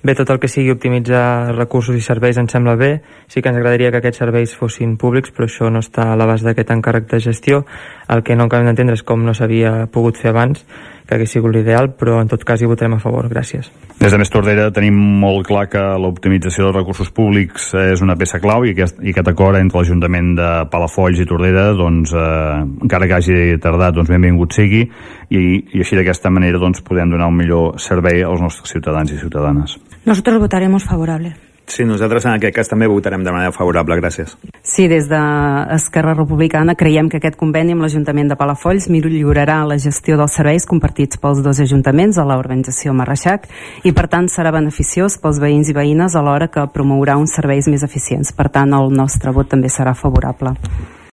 Bé, tot el que sigui optimitzar recursos i serveis ens sembla bé. Sí que ens agradaria que aquests serveis fossin públics, però això no està a l'abast d'aquest encàrrec de gestió. El que no acabem d'entendre és com no s'havia pogut fer abans, que hagués sigut l'ideal, però en tot cas hi votarem a favor. Gràcies. Des de Més Tordera tenim molt clar que l'optimització dels recursos públics és una peça clau i aquest acord entre l'Ajuntament de Palafolls i Tordera, doncs, encara que hagi tardat, doncs benvingut sigui, i així d'aquesta manera doncs, podem donar un millor servei als nostres ciutadans i ciutadanes. Nosotros votaremos favorable. Sí, nosaltres en aquest cas també votarem de manera favorable, gràcies. Sí, des d'Esquerra Republicana creiem que aquest conveni amb l'Ajuntament de Palafolls millorarà la gestió dels serveis compartits pels dos ajuntaments a l'urbanització Marreixac i per tant serà beneficiós pels veïns i veïnes alhora que promourà uns serveis més eficients. Per tant, el nostre vot també serà favorable.